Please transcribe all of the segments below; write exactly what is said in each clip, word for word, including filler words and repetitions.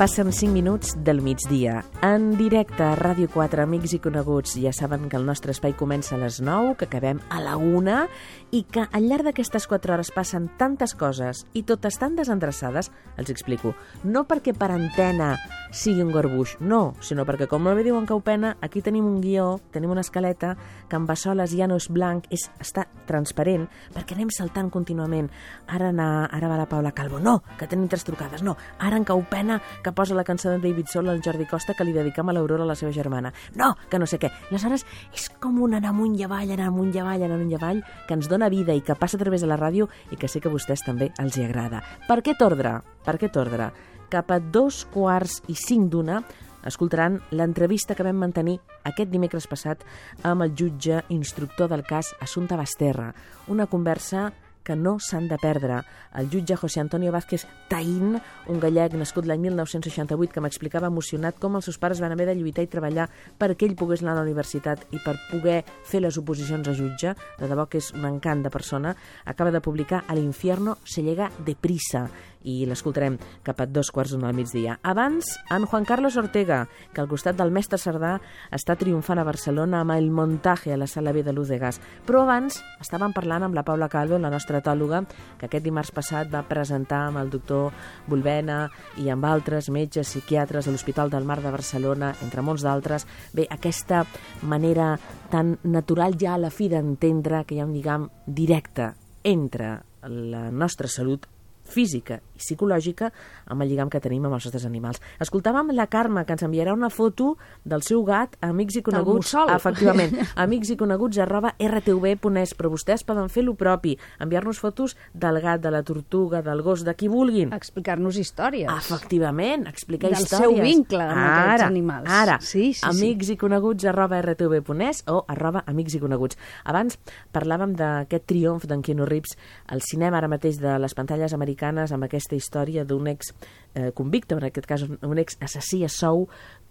Passen cinc minuts del migdia. En directe a Ràdio quatre, amics i coneguts, ja saben que el nostre espai comença a les nou, que acabem a la una i que al llarg d'aquestes quatre hores passen tantes coses i totes tan desendreçades, els explico. No perquè per antena sigui un garbuix, no, sinó perquè, com bé diuen Caupena, aquí tenim un guió, tenim una escaleta que en Bassoles ja no és blanc, és, està transparent, perquè anem saltant contínuament. Ara, na, ara va la Paula Calvo, no, que tenim tres trucades, no, ara en Caupena, que posa la cançó de David Soul al Jordi Costa que li dedicam a l'Aurora, la seva germana. No, que no sé què. Aleshores, és com un anar amunt i avall, anar amunt i avall, anar amunt i avall, que ens dona vida i que passa a través de la ràdio i que sé que a vostès també els hi agrada. Per aquest ordre, per aquest ordre, cap a dos quarts i cinc d'una, escoltaran l'entrevista que vam mantenir aquest dimecres passat amb el jutge instructor del cas Assumpta Basterra. Una conversa que no s'han de perdre. El jutge José Antonio Vázquez Taín, un gallec nascut l'any mil nou-cents seixanta-vuit, que m'explicava emocionat com els seus pares van haver de lluitar i treballar perquè ell pogués anar a la universitat i per poder fer les oposicions a jutge, de debò que és un encant de persona, acaba de publicar A l'infierno se llega deprisa, i l'escoltarem cap a dos quarts d'una al migdia. Abans, en Juan Carlos Ortega, que al costat del mestre Cerdà està triomfant a Barcelona amb El montaje a la Sala B de Luz de Gas. Però abans estàvem parlant amb la Paula Calvo, la nostra etòloga, que aquest dimarts passat va presentar amb el doctor Bulbena i amb altres metges psiquiatres a l'Hospital del Mar de Barcelona, entre molts d'altres. Bé, aquesta manera tan natural ja a la fi d'entendre que hi ha un lligam directe entre la nostra salut física i psicològica amb el lligam que tenim amb els nostres animals. Escoltàvem la Carme, que ens enviarà una foto del seu gat a amics i coneguts, efectivament, amics i coneguts arroba r t v punt es, però vostès poden fer lo propi, enviar-nos fotos del gat, de la tortuga, del gos, de qui vulguin. Explicar-nos històries. Efectivament, explicar del històries. Del seu vincle amb ara, aquests animals. Ara, sí, sí, amics sí. i coneguts arroba r t v punt es o arroba amics i coneguts. Abans parlàvem d'aquest triomf d'en Keanu Reeves al cinema ara mateix de les pantalles americanes amb aquesta història d'un ex eh, convicte, en aquest cas un ex assassí a sou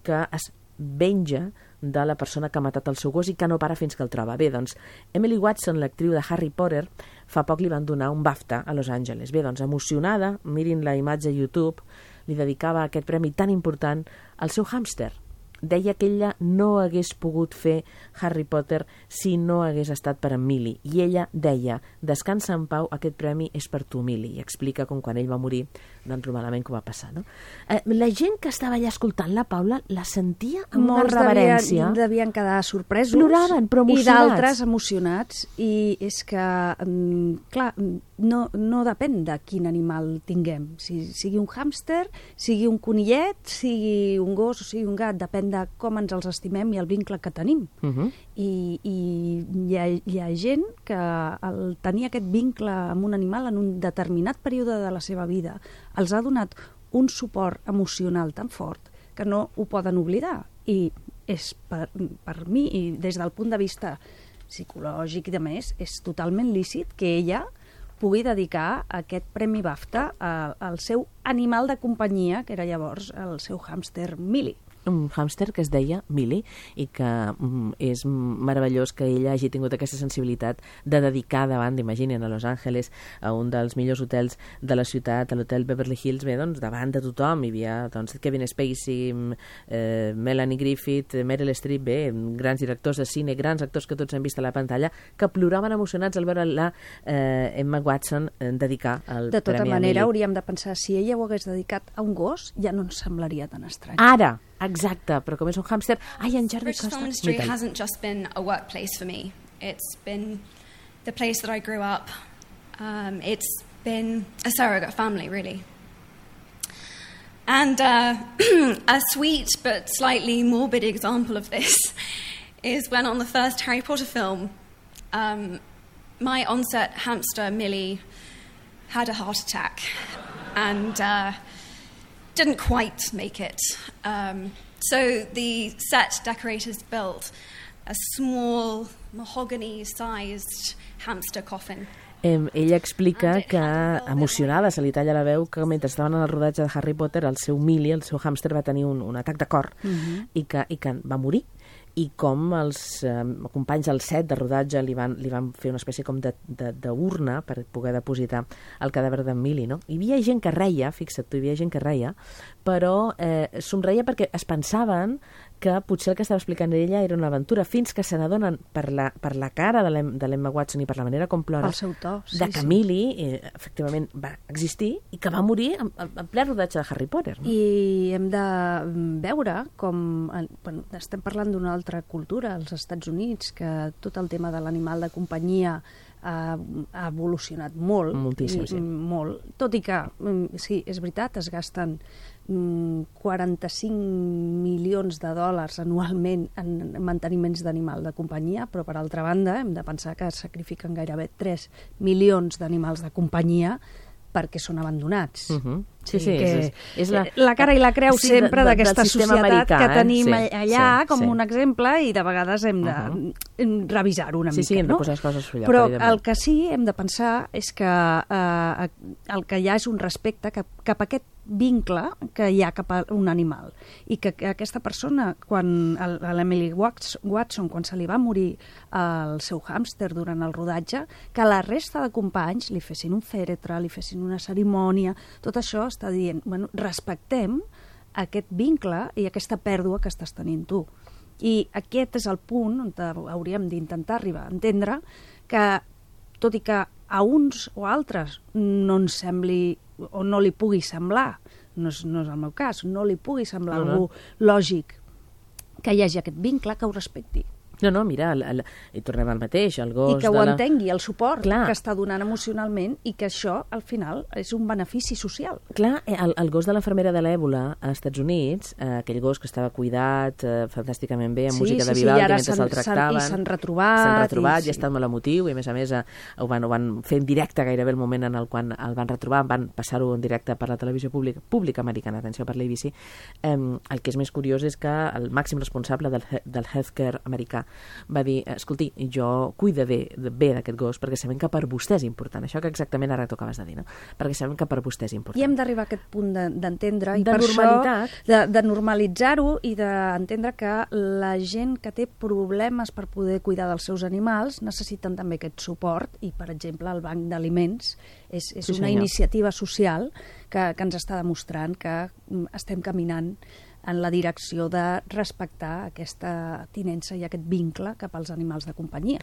que es venja de la persona que ha matat el seu gos i que no para fins que el troba. Bé, doncs, Emily Watson, l'actriu de Harry Potter, fa poc li van donar un BAFTA a Los Angeles. Bé, doncs, emocionada, mirin la imatge a YouTube, li dedicava aquest premi tan important al seu hàmster. Deia que ella no hagués pogut fer Harry Potter si no hagués estat per en Millie. I ella deia, descansa en pau, aquest premi és per tu, Millie. I explica com quan ell va morir, doncs lo malament que va passar, no? Eh, la gent que estava allà escoltant la Paula la sentia amb molts una reverència. Molts devien quedar sorpresos. Ploraven, però emocionats. I d'altres emocionats. I és que, clar, no, no depèn de quin animal tinguem. Si sigui un hàmster, sigui un conillet, sigui un gos o sigui un gat, depèn de com ens els estimem i el vincle que tenim. Uh -huh. I i hi, ha, hi ha gent que el tenir aquest vincle amb un animal en un determinat període de la seva vida els ha donat un suport emocional tan fort que no ho poden oblidar. I és per, per mi, i des del punt de vista psicològic i de més, és totalment lícit que ella pugui dedicar aquest Premi BAFTA a, al seu animal de companyia, que era llavors el seu hàmster Millie. Un hàmster que es deia Millie i que mm, és meravellós que ella hagi tingut aquesta sensibilitat de dedicar davant, imaginen, a Los Angeles, a un dels millors hotels de la ciutat, a l'hotel Beverly Hills, bé, doncs, davant de tothom. Hi havia doncs, Kevin Spacey, eh, Melanie Griffith, Meryl Streep, bé, grans directors de cine, grans actors que tots hem vist a la pantalla, que ploraven emocionats al veure la eh, Emma Watson eh, dedicar el de tota premi a manera, Millie. hauríem de pensar, si ella ho hagués dedicat a un gos, ja no ens semblaria tan estrany. Ara! Exacte, però com és un hàmster... Ai, en Jordi Costa... British Film Industry hasn't just been a workplace for me. It's been the place that I grew up. Um, it's been a surrogate family, really. And uh, a sweet but slightly morbid example of this is when on the first Harry Potter film, um, my on-set hamster, Millie, had a heart attack. And... Uh, didn't quite make it. Um, so the set decorators built a small mahogany-sized hamster coffin. Eh, ella explica que, emocionada, se li talla la veu, que mentre estaven en el rodatge de Harry Potter, el seu Millie, el seu hàmster, va tenir un, un atac de cor uh-huh. i, que, i que va morir. i com els eh, companys del set de rodatge li van, li van fer una espècie com de, de, d'urna per poder depositar el cadàver d'en Millie, no? Hi havia gent que reia, fixa't tu, hi havia gent que reia, però eh, somreia perquè es pensaven que potser el que estava explicant ella era una aventura, fins que se n'adonen per la, per la cara de l'Emma Watson i per la manera com plora, el seu to, sí, de que sí. Millie eh, efectivament va existir i que va morir en, en ple rodatge de Harry Potter. No? I hem de veure com... Bueno, estem parlant d'una altra cultura als Estats Units, que tot el tema de l'animal de companyia ha, ha evolucionat molt. Moltíssim, i, sí. Molt. Tot i que, sí, és veritat, es gasten quaranta-cinc milions de dòlars anualment en manteniments d'animal de companyia, però per altra banda hem de pensar que es sacrifiquen gairebé tres milions d'animals de companyia perquè són abandonats. Uh -huh. Sí, sí, que és, és la, la cara i la creu sí, sempre de, de, d'aquesta societat americà, que tenim eh? sí, allà sí, com sí. un exemple, i de vegades hem de uh -huh. revisar-ho una sí, mica. Sí, hem de no? posar les coses al lloc. Però el que sí hem de pensar és que eh, el que hi ha és un respecte cap, cap a aquest vincle que hi ha cap a un animal, i que, que aquesta persona, quan l'Emily Watson, quan se li va morir el seu hàmster durant el rodatge, que la resta de companys li fessin un fèretre, li fessin una cerimònia, tot això està dient, bueno, respectem aquest vincle i aquesta pèrdua que estàs tenint tu. I aquest és el punt on hauríem d'intentar arribar a entendre que, tot i que a uns o altres no ens sembli o no li pugui semblar, no és, no és el meu cas, no li pugui semblar no, algú no. lògic que hi hagi aquest vincle, que ho respecti. No, no, mira, el, el, i tornem al mateix, el gos... I que ho de la... entengui, el suport Clar. que està donant emocionalment, i que això, al final, és un benefici social. Clar, el, el gos de l'enfermera de l'Èbola als Estats Units, eh, aquell gos que estava cuidat eh, fantàsticament bé, amb sí, música sí, de sí, Vivaldi, sí, mentre se'l tractaven. I s'han retrobat. S'han retrobat, i, i ha estat molt emotiu, i a més a més eh, ho, van, ho van fer en directe gairebé el moment en el qual el van retrobar, van passar-ho en directe per la televisió pública, pública americana, atenció, per l'A B C. Eh, el que és més curiós és que el màxim responsable del, del healthcare americà va dir, escolti, jo cuidaré bé d'aquest gos perquè sabem que per vostè és important. Això que exactament ara tu acabes de dir, no? Perquè sabem que per vostè és important. I hem d'arribar a aquest punt d'entendre, de, i de per normalitat. això, de, de normalitzar-ho i d'entendre que la gent que té problemes per poder cuidar dels seus animals necessiten també aquest suport, i, per exemple, el banc d'aliments és, és sí, una senyor. iniciativa social que, que ens està demostrant que estem caminant en la direcció de respectar aquesta tinença i aquest vincle cap als animals de companyia.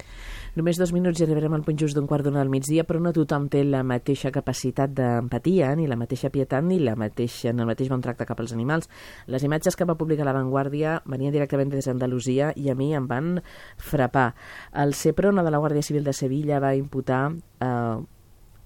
Només dos minuts i arribarem al punt just d'un quart d'una del migdia, però no tothom té la mateixa capacitat d'empatia, ni la mateixa pietat, ni la mateixa, en el mateix bon tracte cap als animals. Les imatges que va publicar La Vanguardia venien directament des d'Andalusia i a mi em van frapar. El Seprona de la Guàrdia Civil de Sevilla va imputar eh,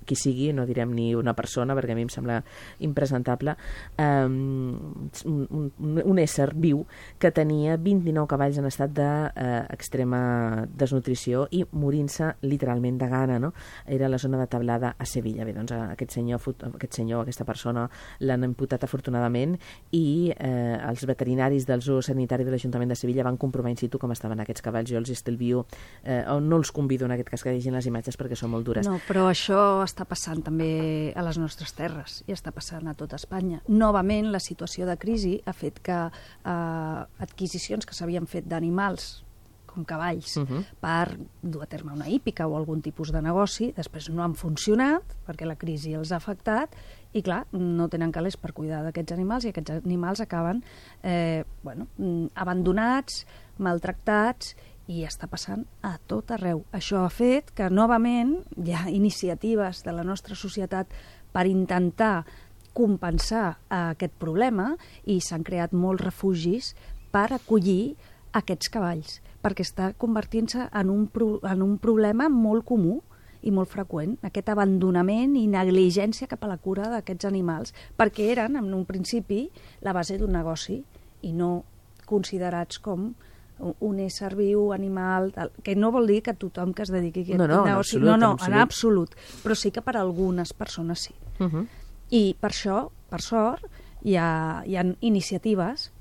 qui sigui, no direm ni una persona perquè a mi em sembla impresentable, um, un, un, un ésser viu que tenia vint-i-nou cavalls en estat d'extrema de, eh, desnutrició i morint-se literalment de gana, no? Era la zona de Tablada a Sevilla. Bé, doncs aquest senyor, aquest senyor aquesta persona l'han imputat afortunadament i eh, els veterinaris del zoo sanitari de l'Ajuntament de Sevilla van comprovar in situ com estaven aquests cavalls. Jo els estalvio, eh, o no els convido en aquest cas que vegin les imatges perquè són molt dures. No, però això està passant també a les nostres terres i està passant a tota Espanya. Novament, la situació de crisi ha fet que eh, adquisicions que s'havien fet d'animals com cavalls, uh -huh. per dur a terme una hípica o algun tipus de negoci, després no han funcionat perquè la crisi els ha afectat i, clar, no tenen calés per cuidar d'aquests animals i aquests animals acaben eh, bueno, abandonats, maltractats, i està passant a tot arreu. Això ha fet que, novament, hi ha iniciatives de la nostra societat per intentar compensar aquest problema i s'han creat molts refugis per acollir aquests cavalls, perquè està convertint-se en un, pro en un problema molt comú i molt freqüent, aquest abandonament i negligència cap a la cura d'aquests animals, perquè eren, en un principi, la base d'un negoci i no considerats com un ésser viu, animal, tal, que no vol dir que tothom que es dediqui a aquest no, no, negoci... absolut, no, no, en en absolut, però sí que per a algunes persones sí. Uh -huh. I per això, per sort, hi ha, hi ha iniciatives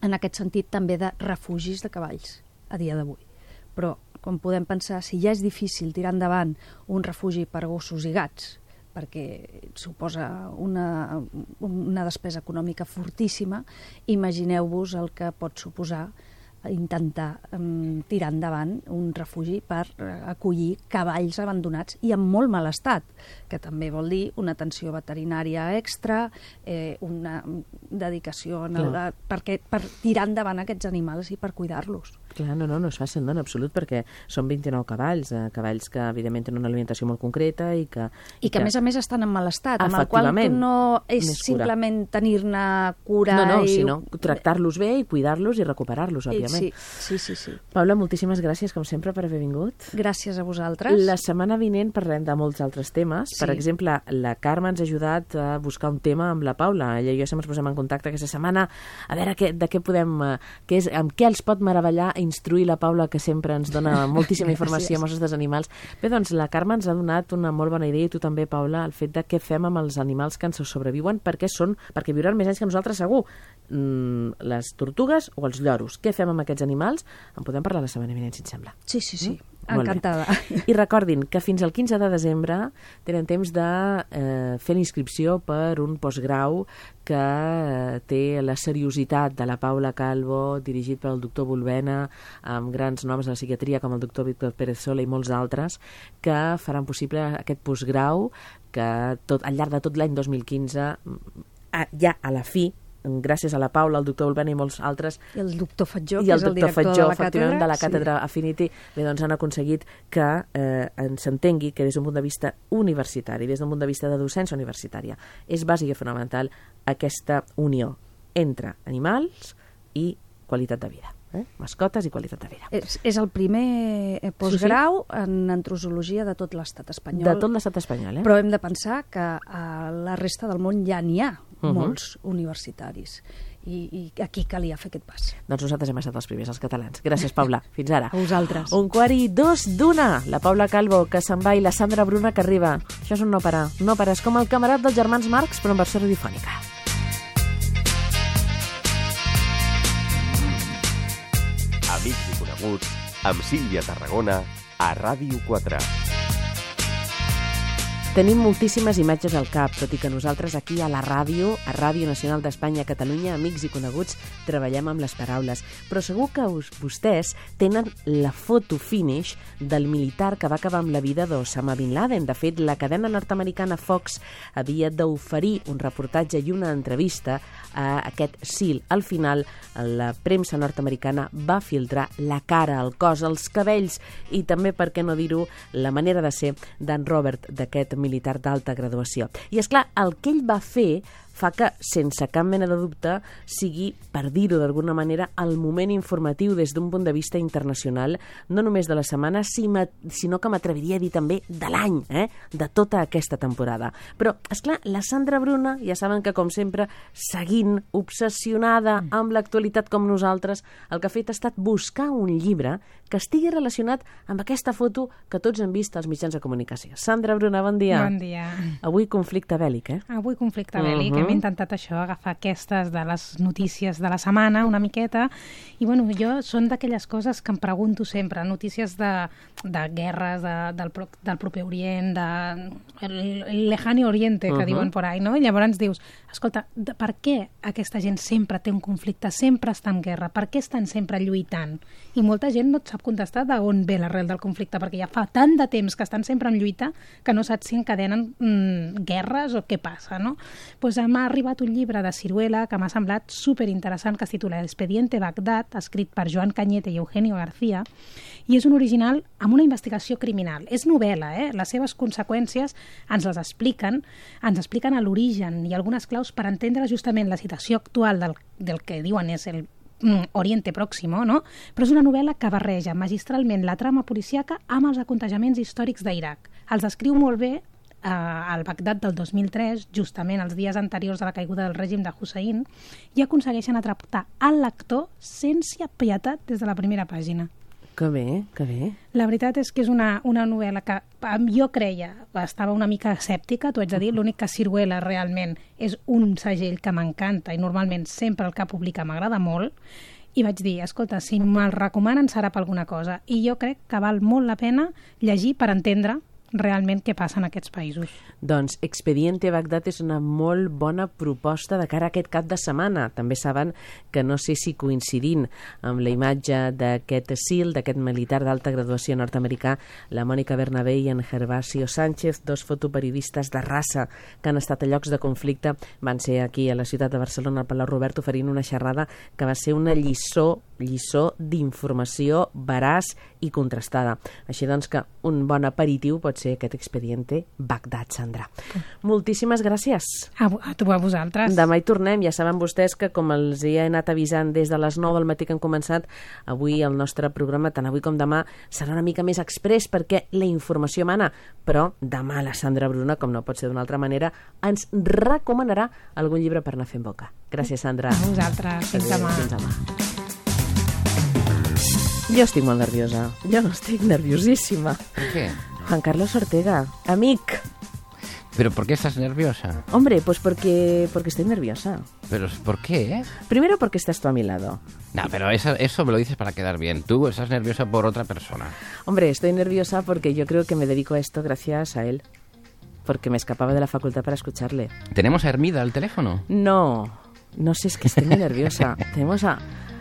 en aquest sentit també de refugis de cavalls a dia d'avui. Però, com podem pensar, si ja és difícil tirar endavant un refugi per gossos i gats, perquè suposa una, una despesa econòmica fortíssima, imagineu-vos el que pot suposar intentar um, tirar endavant un refugi per uh, acollir cavalls abandonats i en molt mal estat, que també vol dir una atenció veterinària extra, eh, una dedicació en el, perquè, per tirar endavant aquests animals i per cuidar-los. Clar, no, no, no és fàcil, no, en absolut, perquè són vint-i-nou cavalls, eh, cavalls que evidentment tenen una alimentació molt concreta i que... I, I que, que a més a més estan en mal estat, amb el qual tu no és simplement tenir-ne cura... No, no, i... sinó tractar-los bé i cuidar-los i recuperar-los, òbviament. Sí, sí, sí, sí. Paula, moltíssimes gràcies, com sempre, per haver vingut. Gràcies a vosaltres. La setmana vinent parlem de molts altres temes. Sí. Per exemple, la Carme ens ha ajudat a buscar un tema amb la Paula. Ella i jo sempre ens posem en contacte aquesta setmana a veure què, de què podem... Què és, amb què els pot meravellar instruir la Paula, que sempre ens dona moltíssima informació amb els nostres animals. Bé, doncs la Carme ens ha donat una molt bona idea, i tu també, Paula, el fet de què fem amb els animals que ens sobreviuen, perquè són, perquè viuran més anys que nosaltres segur. Mm, les tortugues o els lloros. Què fem amb aquests animals? En podem parlar la setmana vinent, si et sembla. Sí, sí, sí. Mm? Encantada. I recordin que fins al quinze de desembre tenen temps de eh, fer l'inscripció per un postgrau que eh, té la seriositat de la Paula Calvo, dirigit pel doctor Volvena, amb grans noms de la psiquiatria com el doctor Víctor Pérez Sola i molts altres, que faran possible aquest postgrau que tot, al llarg de tot l'any dos mil quinze, ja a la fi, gràcies a la Paula, el doctor Volvena i molts altres, i el doctor Fatjó, que és el director Fatjó, de la càtedra, de la càtedra sí. Affinity, bé, doncs han aconseguit que eh, s'entengui que des d'un punt de vista universitari, des d'un punt de vista de docència universitària, és bàsic i fonamental aquesta unió entre animals i qualitat de vida. Eh? Mascotes i qualitat de vida. És, és el primer postgrau sí, sí. en antrozologia de tot l'estat espanyol. De tot l'estat espanyol, eh? Però hem de pensar que a la resta del món ja n'hi ha uh -huh. molts universitaris. I, I aquí calia fer aquest pas. Doncs nosaltres hem estat els primers, els catalans. Gràcies, Paula. Fins ara. A vosaltres. Un quart i dos d'una. La Paula Calvo, que se'n va, i la Sandra Bruna, que arriba. Això és un no parar. No parar. És com el Camarat dels germans Marx, però en versió radiofònica. Amics i coneguts, amb Sílvia Tarragona, a Ràdio quatre. Tenim moltíssimes imatges al cap, tot i que nosaltres aquí a la ràdio, a Ràdio Nacional d'Espanya, Catalunya, amics i coneguts, treballem amb les paraules. Però segur que us, vostès tenen la foto finish del militar que va acabar amb la vida d'Osama Bin Laden. De fet, la cadena nord-americana Fox havia d'oferir un reportatge i una entrevista a aquest SEAL. Al final, la premsa nord-americana va filtrar la cara, el cos, els cabells i també, per què no dir-ho, la manera de ser d'en Robert, d'aquest militar d'alta graduació. I és clar, el que ell va fer fa que, sense cap mena de dubte, sigui, per dir-ho d'alguna manera, el moment informatiu des d'un punt de vista internacional, no només de la setmana, sinó que m'atreviria a dir també de l'any, eh? de tota aquesta temporada. Però, esclar, la Sandra Bruna, ja saben que, com sempre, seguint, obsessionada amb l'actualitat com nosaltres, el que ha fet ha estat buscar un llibre que estigui relacionat amb aquesta foto que tots hem vist als mitjans de comunicació. Sandra Bruna, bon dia. Bon dia. Avui conflicte bèl·lic, eh? Avui conflicte bèl·lic. Uh -huh. Hem intentat això, agafar aquestes de les notícies de la setmana, una miqueta, i bueno, jo són d'aquelles coses que em pregunto sempre, notícies de, de guerres, de, del, del proper Orient, de el, el lejano Oriente, que uh -huh. diuen por ahí, no? I llavors dius, escolta, de, per què aquesta gent sempre té un conflicte, sempre està en guerra, per què estan sempre lluitant? I molta gent no et sap contestar d'on ve l'arrel del conflicte, perquè ja fa tant de temps que estan sempre en lluita que no saps si encadenen mm, guerres o què passa, no? Pues m'ha arribat un llibre de Ciruela que m'ha semblat superinteressant, que es titula Expediente Bagdad, escrit per Joan Cañete i Eugenio García, i és un original amb una investigació criminal. És novel·la, eh? Les seves conseqüències ens les expliquen, ens expliquen a l'origen i algunes claus per entendre justament la situació actual del, del que diuen és el Oriente Próximo, no? Però és una novel·la que barreja magistralment la trama policíaca amb els aconteixements històrics d'Iraq. Els descriu molt bé eh, al Bagdad del dos mil tres, justament els dies anteriors a la caiguda del règim de Hussein, i aconsegueixen atrapar el lector sense pietat des de la primera pàgina. Que bé, que bé. La veritat és que és una, una novel·la que jo creia, estava una mica escèptica, t'ho haig de dir, l'únic que Ciruela realment és un segell que m'encanta i normalment sempre el que publica m'agrada molt, i vaig dir, escolta, si me'l recomanen serà per alguna cosa, i jo crec que val molt la pena llegir per entendre realment què passa en aquests països. Doncs Expediente Bagdad és una molt bona proposta de cara a aquest cap de setmana. També saben que no sé si coincidint amb la imatge d'aquest SEAL, d'aquest militar d'alta graduació nord-americà, la Mònica Bernabé i en Gervasio Sánchez, dos fotoperiodistes de raça que han estat a llocs de conflicte, van ser aquí a la ciutat de Barcelona, al Palau Robert, oferint una xerrada que va ser una lliçó, lliçó d'informació veraç i contrastada. Així doncs que un bon aperitiu pot ser aquest Expediente Bagdad, Sandra. Moltíssimes gràcies. A, a tu, a vosaltres. Demà hi tornem. Ja saben vostès que, com els he anat avisant des de les nou del matí que han començat, avui el nostre programa, tant avui com demà, serà una mica més express perquè la informació mana. Però demà la Sandra Bruna, com no pot ser d'una altra manera, ens recomanarà algun llibre per anar fent boca. Gràcies, Sandra. A vosaltres. Fins demà. Fins demà. Jo estic molt nerviosa. Jo no estic nerviosíssima. ¿Por qué? Juan Carlos Ortega, amic. ¿Pero por qué estás nerviosa? Hombre, pues porque, porque estoy nerviosa. ¿Pero por qué? Primero porque estás tú a mi lado. No, pero eso, eso me lo dices para quedar bien. Tú estás nerviosa por otra persona. Hombre, estoy nerviosa porque yo creo que me dedico a esto gracias a él. Porque me escapaba de la facultad para escucharle. ¿Tenemos a Hermida al teléfono? No, no sé, es que estoy muy nerviosa. Tenemos a,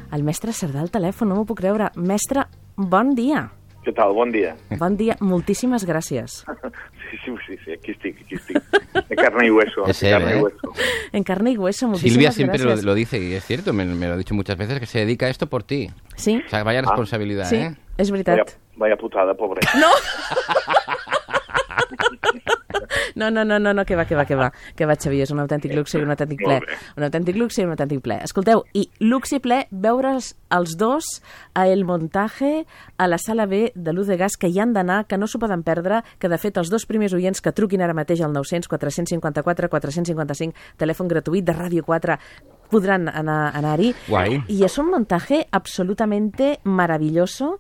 al mestre Cerdà al telèfon, no m'ho puc creure. Mestre, bon dia. Què tal? Bon dia. Bon dia, moltíssimes gràcies. Sí, sí, sí, sí, aquí estic, aquí estic. De carne y hueso. Es de él, carne ¿eh? y hueso. En carne y hueso, muchísimas Silvia siempre lo, gracias. lo dice y es cierto, me, me lo ha dicho muchas veces, que se dedica a esto por ti. Sí? O sea, vaya responsabilidad, Sí, ¿eh? és veritat. Vaya, vaya putada, pobre. No! No, no, no, no, no, que va, que va, que va. Que va, Xavier, és un autèntic luxe i un autèntic ple. Molt bé. Un autèntic luxe i un autèntic ple. Escolteu, i luxe i ple veure's els dos a El Montaje, a la sala B de Luz de Gas, que hi han d'anar, que no s'ho poden perdre, que de fet els dos primers oients que truquin ara mateix al nou cents quatre cinquanta-quatre quatre cinquanta-cinc, telèfon gratuït de Ràdio quatre, podran anar, anar-hi. Guay. Y es un montaje absolutamente maravilloso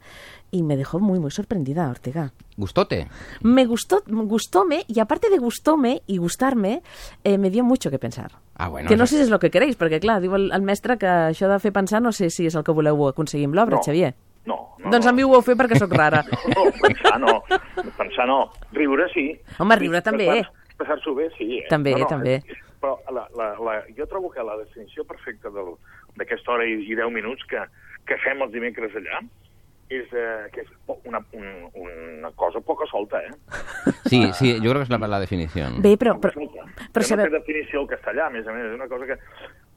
y me dejó muy, muy sorprendida, Ortega. ¿Gustote? Me gustó, gustóme, y aparte de gustóme y gustarme, eh, me dio mucho que pensar. Ah, bueno. Que no eso- sé si és el que queréis, perquè clar, diu el, el mestre que això de fer pensar no sé si és el que voleu aconseguir amb l'obra, No. Xavier. No, no. Doncs no. a mi ho vau fer perquè sóc rara. No, pensar no. Pensar no. Riure sí. Home, riure també. Passar- Passar-s'ho bé, sí. Eh? També, no, no, també. és- Però la, la, la, jo trobo que la definició perfecta del- d'aquesta hora i, i deu minuts que, que fem els dimecres allà és, eh, que és po- una, un, una cosa poca solta, eh? Sí, sí, yo creo que es la, la definición. Bé, però... Poca però, solta. però Que sabeu... no té definició al castellà, a més a més, és una cosa que...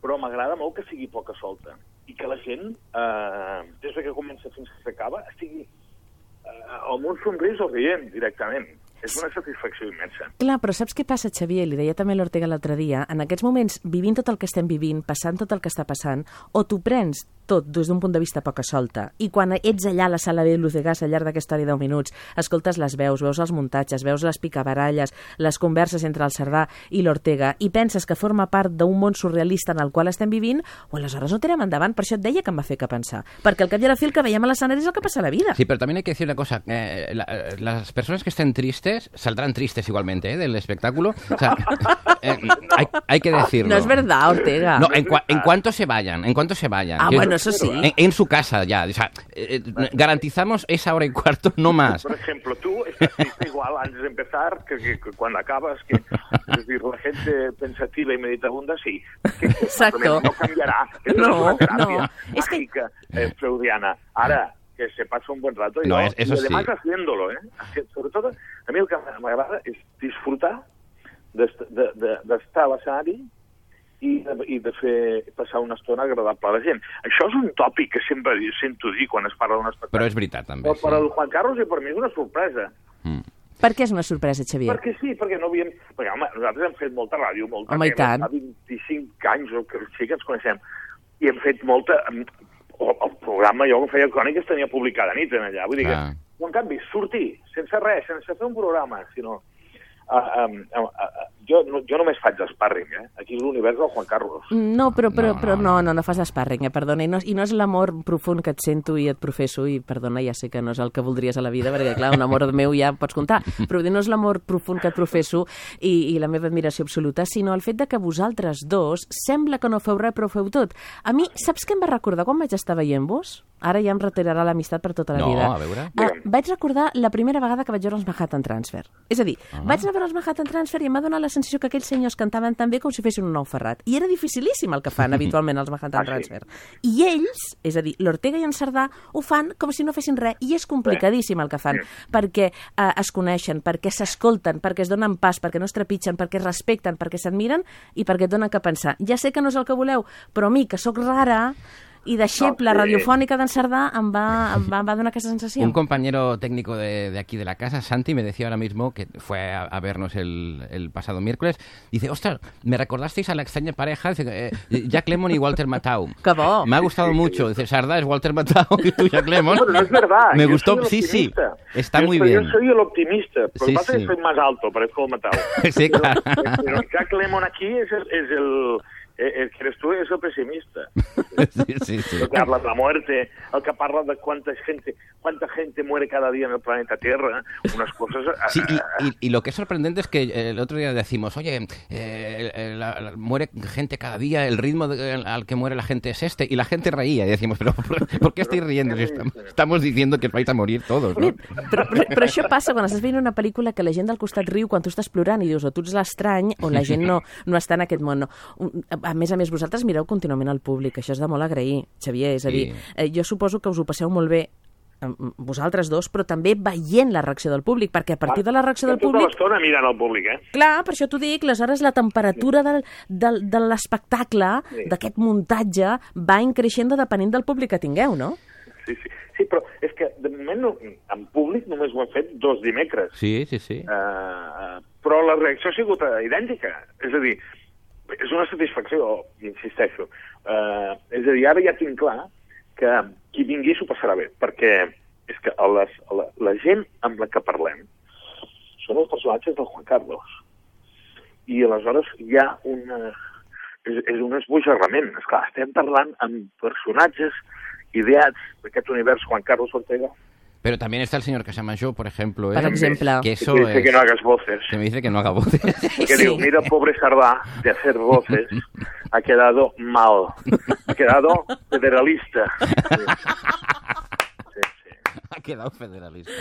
Però m'agrada molt que sigui poca solta i que la gent, eh, des que comença fins que s'acaba, estigui eh, amb un somrís o rient directament. És una satisfacció immensa. Clar, però saps què passa, Xavier? Li deia també l'Ortega l'altre dia. En aquests moments, vivint tot el que estem vivint, passant tot el que està passant, o t'ho prens tot des d'un punt de vista poca solta, i quan ets allà a la sala B de Luz de Gas al llarg d'aquesta hora i deu minuts, escoltes les veus, veus els muntatges, veus les picabaralles, les converses entre el Cerdà i l'Ortega, i penses que forma part d'un món surrealista en el qual estem vivint, o aleshores no tirem endavant. Per això et deia que em va fer que pensar. Perquè al cap i a la fi el que veiem a l'escenari és el que passa a la vida. Sí, pero también hay que decir una cosa. Eh, la- las personas que estén tristes saldrán tristes igualmente, ¿eh? Del espectáculo. O sea, eh, hay, hay que decirlo. No es verdad, Ortega. No, en, cua- en cuanto se vayan, en cuanto se vayan. Ah, Quiero- bueno, eso sí. En, en su casa ya. O sea, eh, eh, garantizamos esa hora y cuarto, no más. Por ejemplo, tú estás triste igual antes de empezar que, que, que cuando acabas, que es decir, la gente pensativa y meditabunda, sí. Que, que Exacto. No cambiará. Eso No, es una terapia no. Es que- mágica, eh, freudiana. Ahora, que se pasa un buen rato. y No, yo- es- eso y además sí. haciéndolo, ¿eh? Haci- Sobre todo, a mí el que m'agrada és disfrutar d'est- de- de- d'estar a l'escenari i de, i de fer passar una estona agradable a la gent. Això és un tòpic que sempre sento dir quan es parla d'un espectacle. Però és veritat, també. Però per sí. al Juan Carlos i per mi és una sorpresa. Mm. Per què és una sorpresa, Xavier? Perquè sí, perquè no havíem... Perquè, home, nosaltres hem fet molta ràdio, molta Home, i tele, tant. fa vint-i-cinc anys o que sí que ens coneixem, i hem fet molta... O, el programa, jo que feia cròniques, tenia publicada nit en allà. Vull dir Ah. que, en canvi, sortir sense res, sense fer un programa, sinó... Uh, um, uh, uh, jo, no, jo només faig sparring, eh? Aquí l'univers del Juan Carlos. No, però, però, No, però no, no, no, no fas d'espàrring, eh? Perdona, i no, i no és l'amor profund que et sento i et professo, i perdona, ja sé que no és el que voldries a la vida, perquè clar, un amor meu ja pots comptar, però no és l'amor profund que et professo i, i la meva admiració absoluta, sinó el fet de que vosaltres dos sembla que no feu res, però ho feu tot. A mi, saps què em va recordar quan vaig estar veient-vos? ara ja em retirarà l'amistat per tota la No, vida. a veure. Uh, vaig recordar la primera vegada que vaig veure els Manhattan Transfer. És a dir, ah. vaig anar a veure els Manhattan Transfer i em va donar la sensació que aquells senyors cantaven tan bé com si fessin un nou Ferrat. I era dificilíssim el que fan habitualment els Manhattan Ah, sí? Transfer. I ells, és a dir, l'Ortega i en Cerdà, ho fan com si no fessin res. I és complicadíssim el que fan, perquè uh, es coneixen, perquè s'escolten, perquè es donen pas, perquè no es trepitgen, perquè es respecten, perquè s'admiren i perquè et donen que pensar. Ja sé que no és el que voleu, però a mi, que sóc rara i deixeble No, sí. radiofònica d'en Cerdà, em va, em va, em va donar aquesta sensació. Un compañero técnico de, de aquí de la casa, Santi, me decía ahora mismo, que fue a, a vernos el, el pasado miércoles, dice, ostras, me recordasteis a la extraña pareja, dice, eh, Jack Lemmon y Walter Matthau. ¡Qué bo! Me ha gustado mucho. Dice, Sardá es Walter Matthau y tú Jack Lemmon. Bueno, no es verdad. Me Yo gustó, soy el sí, sí, optimista. está yo muy soy, bien. Yo soy el optimista, pero Sí, lo que pasa es sí. que soy más alto, parezco el Matau. Sí, claro. Pero, pero Jack Lemmon aquí es el, es el, el que eres tú, es el pesimista. Sí, sí, sí. El que habla de la muerte, el que parla de cuánta gente, cuánta gente muere cada día en el planeta Tierra, unas cosas... Sí, y, y, y lo que es sorprendente es que el otro día decimos, oye, eh, la, la, muere gente cada día, el ritmo de, al que muere la gente es este, y la gente reía, y decimos, pero ¿por, ¿por qué estáis riendo? Si estamos, estamos diciendo que vais a morir todos, no? Però, però, però això passa quan estàs veient una pel·lícula que la gent del costat riu quan tu estàs plorant i dius o tu ets l'estrany o la gent no, no està en aquest món. No. A més a més, vosaltres mireu contínuament al públic, això és de molt agrair, Xavier, és a dir, eh, jo suposo que us ho passeu molt bé vosaltres dos, però també veient la reacció del públic, perquè a partir de la reacció del públic... Tota l'estona mirant el públic, eh? Clar, per això t'ho dic, aleshores la temperatura del, del, de l'espectacle, Sí. d'aquest muntatge, va increixent depenent del públic que tingueu, no? Sí, sí. Sí, però és que de moment no, en públic només ho hem fet dos dimecres. Sí, sí, sí. Uh, però la reacció ha sigut idèntica. És a dir, és una satisfacció, insisteixo. Uh, és a dir, ara ja tinc clar que qui vingui s'ho passarà bé, perquè és que a les, a la, la gent amb la que parlem són els personatges del Juan Carlos. I aleshores hi ha una... És, és un esbojarrament. Esclar, estem parlant amb personatges ideats d'aquest univers Juan Carlos Ortega. Pero también está el señor Casamayor, por ejemplo, ¿eh? Per exemple. Que eso que dice es... que no hagas voces. Que me dice que no haga voces. Que Sí. digo, mira, pobre Sardá, de hacer voces, ha quedado mal. Ha quedado federalista. Sí, sí. Ha quedado federalista.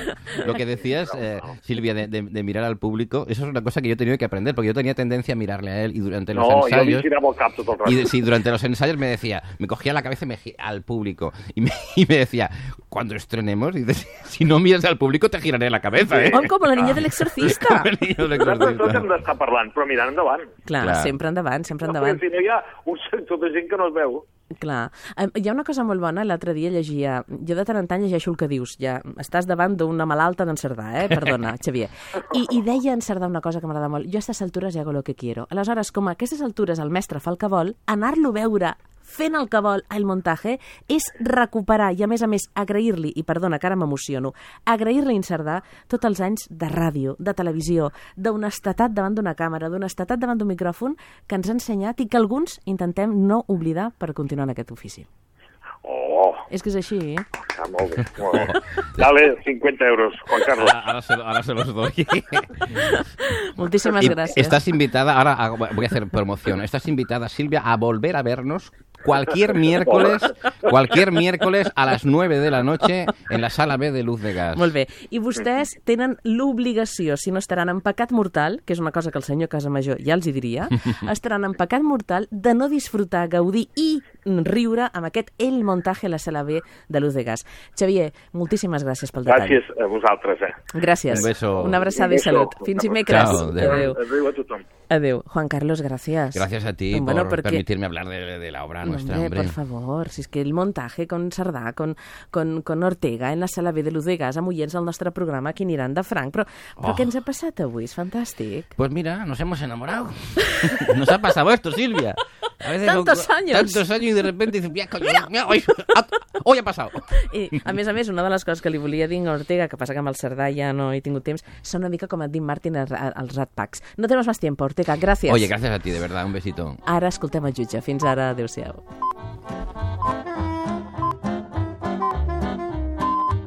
Lo que decías, eh, Silvia, de, de, de mirar al público, eso es una cosa que yo he tenido que aprender, porque yo tenía tendencia a mirarle a él y durante los No, jo li ensayos... girava el cap tot el rato. Y sí, durante los ensayos me decía, me cogía la cabeza y me gi- al público y me, y me decía, cuando estrenemos, dice, si no miras al público te giraré la cabeza, ¿eh? Oh, com la niña de l'exorcista. El niño de Nosaltres tots hem l'exorcista. d'estar parlant, però mirant endavant. Clar, Clar. sempre endavant, sempre No, endavant. perquè si no hi ha un sector de gent que no es veu. Clar. Eh, Hi ha una cosa molt bona, l'altre dia llegia... Jo de tant en tant llegeixo el que dius, ja estàs davant d'una malalta d'en Cerdà, eh? Perdona, Xavier. I, I deia en Cerdà una cosa que m'agrada molt. Jo a aquestes altures hago lo que quiero. Aleshores, com a aquestes altures el mestre fa el que vol, anar-lo a veure fent el que vol al muntatge és recuperar i, a més a més, agrair-li, i perdona, que ara m'emociono, agrair-li a en Cerdà tots els anys de ràdio, de televisió, d'honestedat davant d'una càmera, d'honestedat davant d'un micròfon que ens ha ensenyat i que alguns intentem no oblidar per continuar en aquest ofici. Oh, És que és així, eh? ah, molt bé, molt bé. Dale, cincuenta euros, Juan Carlos. Ahora, ahora se, ahora se los doy. Moltíssimes Y gràcies. estás invitada, ahora hago- voy a hacer promoción, estás invitada, Silvia, a volver a vernos cualquier miércoles, cualquier miércoles a las nueve de la noche en la sala B de Luz de Gas. Molt bé. I vostès tenen l'obligació, si no estaran en pecat mortal, que és una cosa que el senyor Casamajor ja els hi diria, estaran en pecat mortal de no disfrutar, gaudir i riure amb aquest El Montaje a la sala B de Luz de Gas. Xavier, moltíssimes gràcies pel detall. Gràcies a vosaltres, eh? Gràcies. Un beso. Una abraçada Un i beso. salut. Fins dimecres. Chao, adéu. Adéu. Adéu a tothom. Adéu. Juan Carlos, gracias. Gracias a ti Bueno, por perquè- permitirme hablar de, de la obra nuestra, Hombre, hombre. por favor, si es que el montaje con Cerdà, con, con, con Ortega en la sala B de Luz de Gas, amb oients al nostre programa que aniran de franc. Però, però Oh. què ens ha passat avui? És fantàstic. Pues mira, nos hemos enamorado. Nos ha pasado esto, Silvia. A veces Tantos con- años. Tantos años y de repente dices, mira, coño, mira, hoy, hoy ha pasado. I, a més a més, una de les coses que li volia dir a Ortega, que passa que amb el Cerdà ja no he tingut temps, són una mica com a Dean Martin als Rat Packs. No tenemos más tiempo, Ortega, gràcies. Oye, gracias a ti, de verdad, un besito. Ara escoltem el jutge. Fins ara, adéu-siau.